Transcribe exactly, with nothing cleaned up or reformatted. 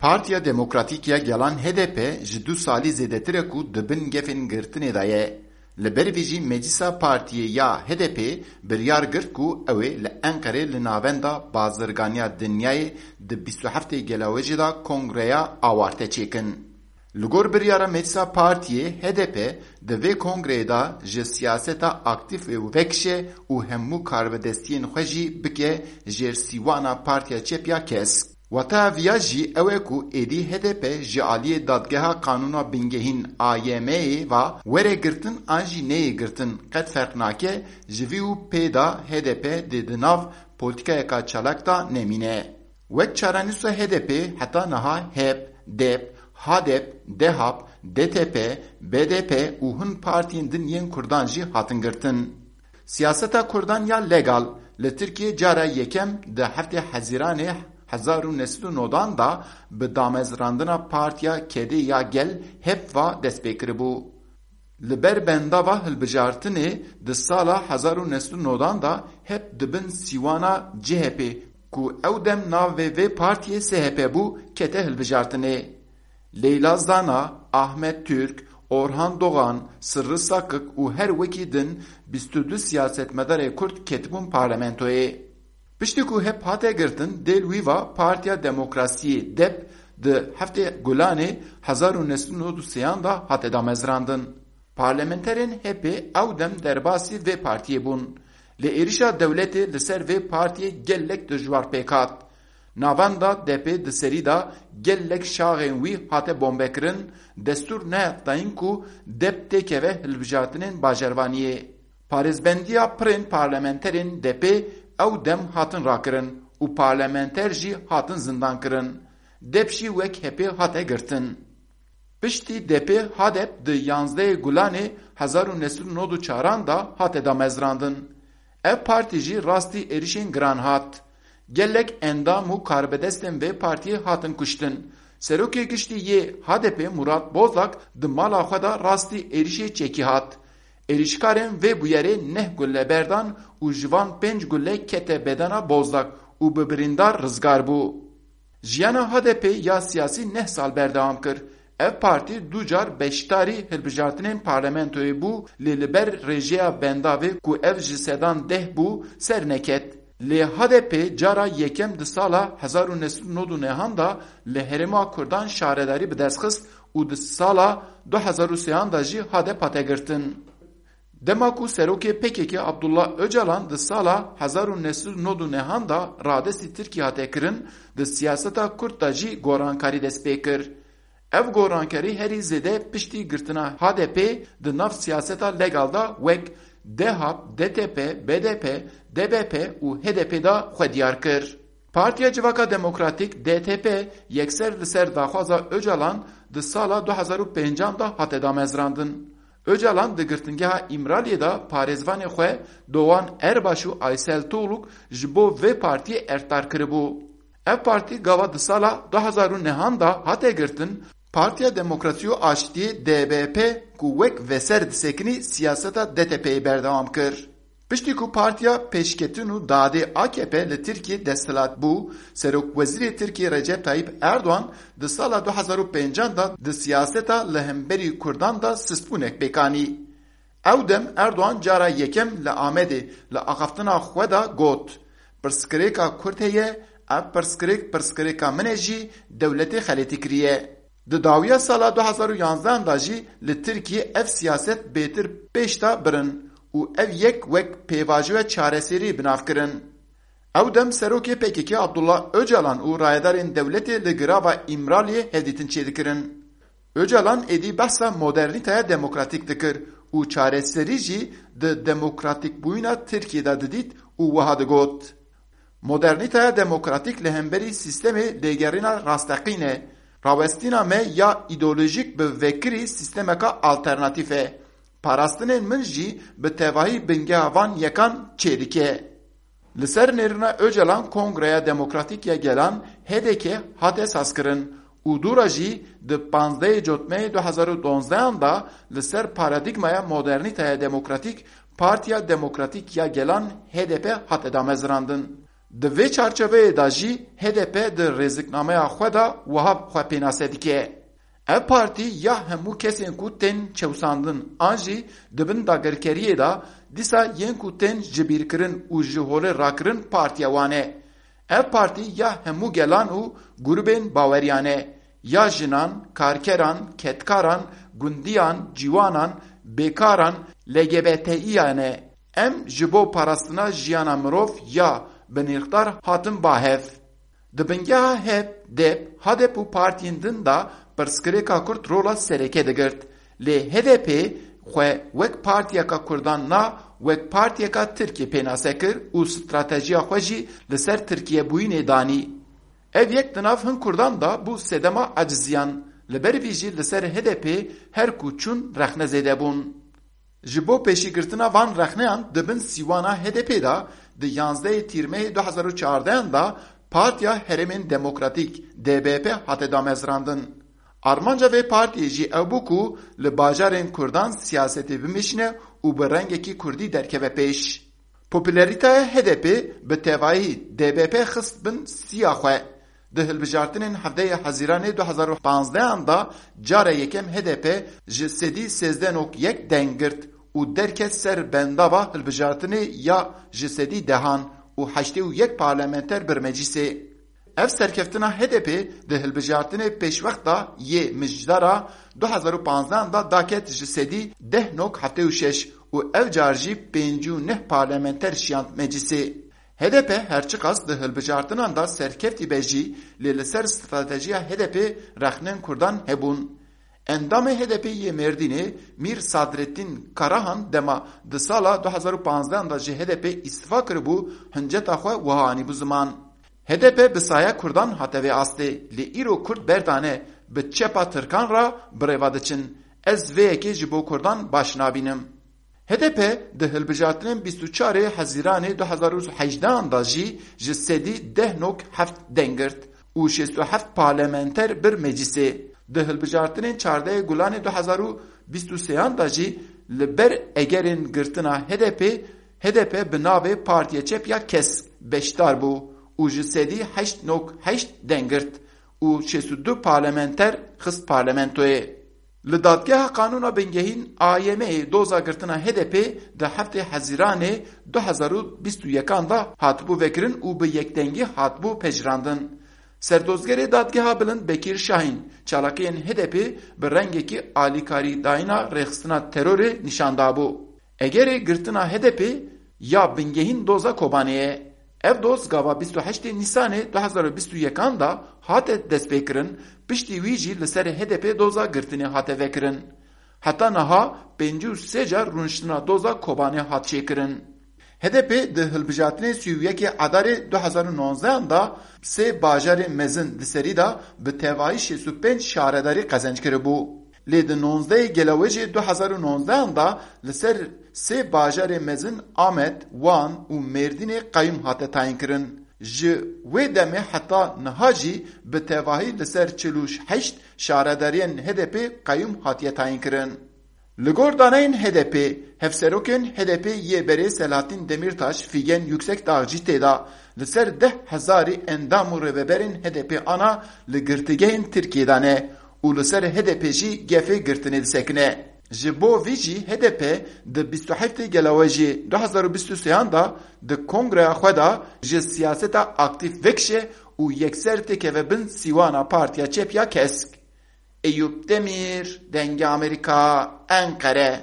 Partiya Demokratîk ya Gelan H D P ji du salî zêdetir e ku di bin gefên girtinê de ye. Li ber vê jî Meclisa Partiyê ya H D P biryar girt ku ew ê li Enqerê li Navenda Bazirganiya Dinyayê di bîst û heftê Gelawêjê de kongreya awarte çêkin. Li gor biryara Meclisa Partiyê, H D P di vê kongreyê de ji siyaseta aktîf û vekişe û hemû karbidestiyên xwe jî bike jêr sîwana Partiya Çep ya Kesk. Wateya viya jî ew e ku êdî H D P ji aliyê Dadgeha Qanûna Bingehîn, A Y M'yê, ve were girtin an jî neyê girtin, qet ferq nake, ji vî û pê de H D P dê di nav polîtîkayeka çalak de nemîne. Wek çarenûsa H D P heta niha HEP, DEP, HADEP, DEHAP, DTP, BDP û hin partiyên din yên Kurdan jî hatin girtin. Siyaseta Kurdan ya legal li Tirkiyê cara yekem di heftê Hezîranê hezar û neh sed û nodan de bi damezrandina Partiya Kedê ya Gel, HEP, ve dest pê kiribû. Li ber bendava hilbijartinê di sala hezar û neh sed û nodan de HEP di bin sîwana C H P, ku ew dem navê vê partiyê S H P bû, kete hilbijartinê. Leyla Zana, Ahmet Türk, Orhan Doğan, Sırrı Sakık û her wekî din bîst û du siyasetmedarê Kurd ketibûn parlamentoyê. Piştî ku HEP hate girtin, dêl wî va Partiya Demokrasiyê, DEP, di heftê Gulanê hezar û neh sed û nod û sêyan de hate damezrandin. Parlamenterên HEP'ê ew dem derbasî vê partiyê bûn. Lê êrişa dewletê li ser vê partiyê gelek dijwar pêk hat. Navenda DEP'ê di serî de gelek şaxên wî hate bombekirin, destûr nehat dayîn ku DEP têkeve hilbijartinên bajarvaniyê. Parêzbendiya pirên parlamenterên DEP'ê ew dem hatin rakirin û parlamenter jî hatin zindankirin. DEP jî wek HEP'ê hate girtin. Piştî DEP'ê HADEP di yanzdehê Gulanê hezar û neh sed û nod û çaran de hate damezrandin. Ev partî jî rastî êrişên giran hat. Gelek endam û karbidestên vê partiyê hatin kuştin. Serokê Giştî yê HADEP'ê Murat Bozak di mala xwe de rastî êrişê çekî hat. Êrişkarên vê bûyerê neh gulle berdan û ji van pênc gulle kete bedena Bozak û bi birîndar rizgar bû. Jiyana HADEP'ê ya siyasî neh sal berdewam kir. Ev partî du car beşdarî hilbijartinên parlamentoyê bû, lê li ber rêjeya bendavê ku ev ji sedan deh bû, ser neket. Lê HADEP'ê cara yekem di sala hezar û neh sed û nod û nehan de li herêma Kurdan şaredarî bi dest xist û di sala du hezar û sêyan de jî HADEP hate girtin. Dema ku serokê P K K Abdullah Ocalan di sala hezar û neh sed û nod û nehan de radestî Tirkiyê hate kirin, di siyaseta Kurd de jî gorankarî dest pê kir. Ev gorankarî herî zêde piştî girtina HADEP'ê di nav siyaseta legal de wek DEHAP, DTP, BDP, DBP û HDP'ê de xwe diyar kir. Partiya Civaka Demokratîk, DTP, yekser li ser daxwaza Ocalan di sala du hezar û pêncan de hate damezrandin. Ocalan di girtingeha Îmraliyê de parêzvanê xwe Doğan Erbaş û Aysel Tuğluk ji bo vê partiyê erdtar kiribû. Ev partî gava di sala du hezar û nehan de hate girtin, Partiya Demokrasî û Aştiyê, DBP, ku wek veser disekinî, siyaseta DTP'yê berdewam kir. Piştî ku Partiya Pêşketin û Dadê, AKP, li Tirkiyê desthilat bû, Serokwezîrê Tirkiyê Recep Tayyip Erdogan di sala du hezar û pêncan de di siyaseta li hemberî Kurdan de sistbûnek pêk anî. Ew dem Erdogan cara yekem li Amedê li axaftina xwe de got, "Pirsgirêka Kurd heye, ev pirsgirêk pirsgirêka min e jî, dewletê xeletî kiriye." Di dawiya sala du hezar û yanzdehan de jî li Tirkiyê ev siyaset bêtir pêş de birin û ev yek wek pêvajoya çareserî bi nav kirin. Ew dem serokê P K K Abdullah Ocalan û rayedarên dewletê li girava Îmraliyê hevdîtin çêdikirin. Ocalan êdî behsa modernîteya demokratîk dikir û çareserî jî di demokratîkbûyîna Tirkiyê de didît û wiha digot, "Modernîteya demokratîk li hemberî sîstemê lêgerîna rasteqîn e. Rawestîna me ya îdeolojîk bi vekirî sîstemeka alternatîf e. Parastinên min jî bi tevahî bingeha van yekan çêdike." Li ser nêrîna Ocalan Kongreya Demokratîk ya Gelan, H D K, hate sazkirin û dûra jî di panzdehê Cotmeyê du hezar û donzdehan de li ser paradîgmaya modernîteya demokratîk Partiya Demokratîk ya Gelan, H D P, hate damezrandin. Di vê çarçoveyê de jî H D P di rêziknameya xwe de wiha xwe pênase dike: Ev partî ya hemû kesên ku tên çewsandin an jî di bin dagirkeriyê de dîsa yên ku tên jibîrkirin û ji holê rakirin partiya wan e. Ev partî ya hemû gelan û grûbên baweriyan e, ya jinan, karkeran, kedkaran, gundiyan, ciwanan, bêkaran, L G B T İ yan e. Em ji bo parastina jiyana mirov ya binirxdar hatin ba hev. Di bingeha HEP, DEP, HADEP û partiyên din de pirsgirêka Kurd rola sereke digirt. Lê H D P xwe wek partiyeka Kurdan na, wek partiyeka Tirkiyê pênase kir û stratejiya xwe jî li ser Tirkiyebûyînê danî. Ev yek di nav hin Kurdan de bû sedema eciziyan. Li ber vî jî li ser H D P her ku çûn rexne zêde bûn. Ji bo pêşîgirtina van rexneyan di bin sîwana H D P de di yanzdehê Tîrmehê du hazar û çardehan de Partiya Herêmên Demokratîk, D B P, hate damezrandin. Armanca vê partiyê jî ew bû ku li bajarên Kurdan siyasetê bimêşîne û bi rengekî Kurdî derkeve pêş. Popularîteya H D P bi tevahî D B P xist bin siya xwe. Di hilbijartinên hevdehê Hezîranê du hazar û panzdehan de cara yekem H D P ji sedî sêzdeh nok yek deng girt û derket ser bendava hilbijartinê ya ji sedî dehan û heştê û yek parlamenter bir meclisê. Ev serkeftina H D P di hilbijartinê pêşwext de yê mijdara du hazar û panzdehan de daket ji sedî deh nok heftê û şeş û ev car jî pêncî û neh parlamenter şiyand meclisê. H D P her çiqas di hilbijartinan de serkeftî be jî, lê li ser stratejiya H D P rexnên Kurdan hebûn. Endamê H D P yê Mêrdînê Mîr Sadrettîn Karahan dema di sala du hazar û panzdehan de ji H D P îstifa kiribû, hinceta xwe wiha anîbû ziman: H D P bi saya Kurdan hate vê astê, lê îro Kurd berdane, bi çepa Tirkan re bi rêva diçin. Ez vê yekê ji bo Kurdan baş nabînim. H D P di hilbijartinên bîst û çarê Hezîranê du hazar û hejdehan de jî ji sedî deh nok heft deng girt û şêst û heft parlamenter bir meclisê. Di hilbijartinên çardehê Gulanê du hazar û bîst û sêyan de jî li ber egerên girtina H D P, H D P bi navê Partiya Çep ya Kesk beşdar bû û ji sedî heşt nok heşt deng girt û şêst û du parlamenter xist parlamentoyê. Li Dadgeha Qanûna Bingehîn, A Y M'ê, doza girtina H D P di heftê Hezîranê du hazar û bîst û yekan de hatibû vekirin û bi yekdengî hatibû pejirandin. Serdozgerê Dadgeha Bilind Bekîr Şahîn çalakiyên H D P bi rengekî alîkarîdayîna rêxistina terorê nîşan dabû. Egerê girtina H D P ya bingehîn doza Kobanê ye. Ev doz gava bîst û heştê Nîsanê du hazar û bîst û yekan de hate destpêkirin, piştî wî jî li ser H D P doza girtinê hate vekirin. Heta niha pêncî û sê car rûniştina doza Kobanê hat çêkirin. H D P di hilbijartinê sî û yekê Adarê du hazar û nozdehan de sê bajarê mezin li serî de bi tevahî şêst û pênc şaredarî qezenc kiribû. Lê di nozdehê Gelawêjê du hazar û nozdehan de li ser sê bajarê mezin Amed, Wan û Mêrdînê qeyûm hate tayînkirin. Ji wê demê heta niha jî bi tevahî li ser çil û heşt şaredariyên H D P qeyûm hatiye tayînkirin. Li gor daneyên H D P, hevserokên H D P yê berê Selahattin Demirtaş, Figen Yüksekdağ jî tê de, li ser deh hezarî endam û rêveberên H D P ana li girtîgehên Tirkiyê de ne û li ser H D P jî gefê girtinê disekine. Ji bo vî jî H D P di bîst û heftê Gelawêjê du hazar û bîst û sêyan de di kongreya xwe de ji siyaseta aktîf vekişe û yekser têkeve bin sîwana Partiya Çep ya Kesk. Eyûp Demîr, Dengê Amerîka, Enqere.